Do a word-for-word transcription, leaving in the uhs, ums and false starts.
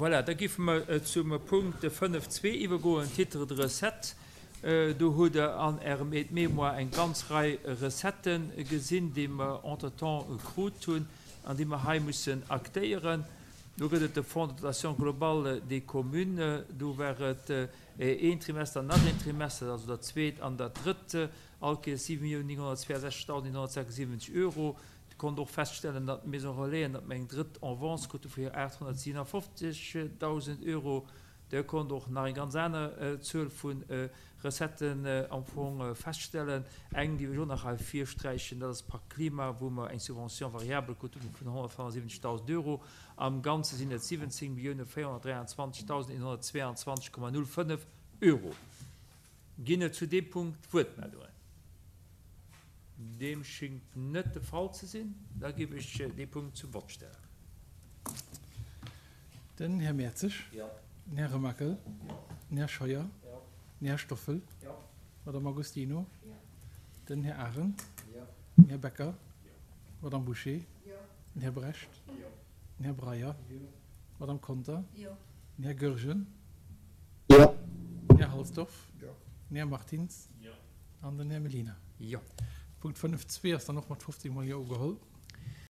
Voilà, da géife mer zum Punkt fënnef zwee iwwergoen, Titre de recettes. Do hutt Der an Ärem Aide-mémoire eng ganz Rei Recettë gesinn, déi mer entretemps krut hunn an déi mer hei mussen aktéieren. Do gëtt et de Fonds de dotation globale des communes, do war et een Trimester, nach een Trimester, also dat zweet an dat drëtt, all Kees siwe Milliounen nénghonnertzweeasechzegdausend nénghonnertsechsundsiwwenzeg Euro. Dir konnt och feststellen, datt d'Maison Relaisen, datt mer eng drëtt Avance krute vu aathonnertsiwenafofzegdausend Euro. Dir konnt och nach eng ganz aner Zuel vu Recetten am Fong feststellen. Eng, déi ech och nach hei virsträichen, dat ass Pacte Klima, wou mer eng Subvention variable krute vun honnertfënnefundsiwwenzegdausend Euro. Am Ganze sinn et siwwenzéng Millioune véierhonnertdräianzwanzegdausend eenhonnertzweeanzwanzeg Komma null fënnef Euro. Ginn et zu deem Punkt Wuertmeldungen? Deem schingt net de Fall ze sinn. Da géif ech dee Punkt zum Vott stellen. Den Här Mertzig. Den Här Remakel. Den Här Scheuer. Den Här Stoffel. D'Madame Agostino. Den Här Arendt. Den Här Becker. D'Madame Bouché. Den Här Brecht. Den Här Breyer. D'Madame Conter. Den Här Goergen. Den Här Halsdorf. Den Här Martins an den Här Mellina. Jo. Punkt fënnef zwee ass dann och mat fofzéng mol Jo ugeholl.